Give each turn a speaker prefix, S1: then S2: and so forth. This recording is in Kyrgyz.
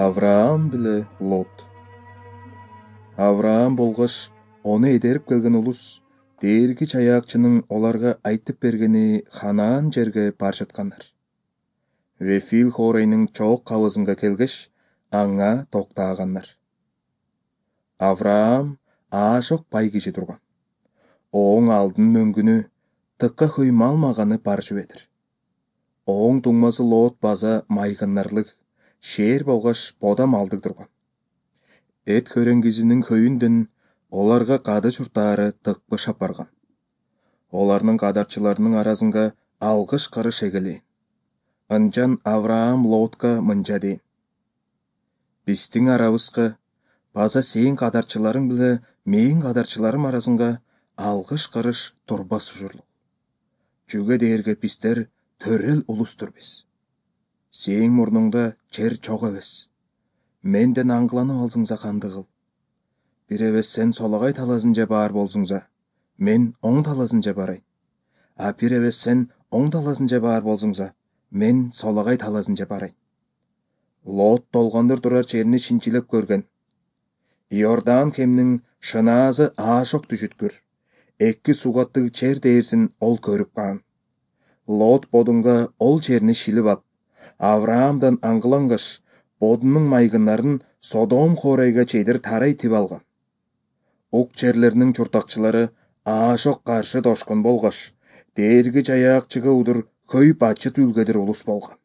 S1: Авраам биле Лот. Авраам болгоч ону эдерип келген улус Дээрги Чаяакчынын оларга айтып бергени Ханаан жерге бар жаткандар. Вефил хоорайнын чоок кабызынга келгеш, аңа токтагандар. Авраам аашок бай киши турган. Оң алдын мөңгүнү тыкка хөй мал маганы бар жүбедир. Оң туңмасы Лот база майгыннарлык, шээр болгоч бода малдык турган. Эт хөреңгизинин хöyүндөн оларга кады чуртаары тыкпышап барган. Оларнын кадарчыларынын арасынга алгыш карыш эгелейин. Ынчан Авраам Лотко мынча дейин: биздин арабызга база сен кадарчыларың биле менин кадарчыларым арасынга алгыш карыш турбас ужурлук. Жүгө дээрге биздер төрөл улустурбиз. Сен мурнуңда жер чок эмес. Менден аңгыланып алсыңса канды кыл. Бир эбес сен солагай талазынча баар болсуңса, мен оң талазынча барайын. А бир эбес сен оң талазынча баар болсуңса, мен солагай талазынча барайын. Лот толгондор турар жерини шинчилеп көргөн. Иордан кемнин шынаазы аашок түшүткүр. 2 сугаттык жер дээрсин ол көрүп калган. Лот бодунга ол жерини шилип ап, Авраамдан аңгылангаш, бодунун майгыннарын Содом хоорайга чейдир тарайтип алган. Ук жерлеринин чуртакчылары аашок каршы дошкун болгоч, Дээрги Чаяакчыга удур хөй бачыт үлгедир улус болгон.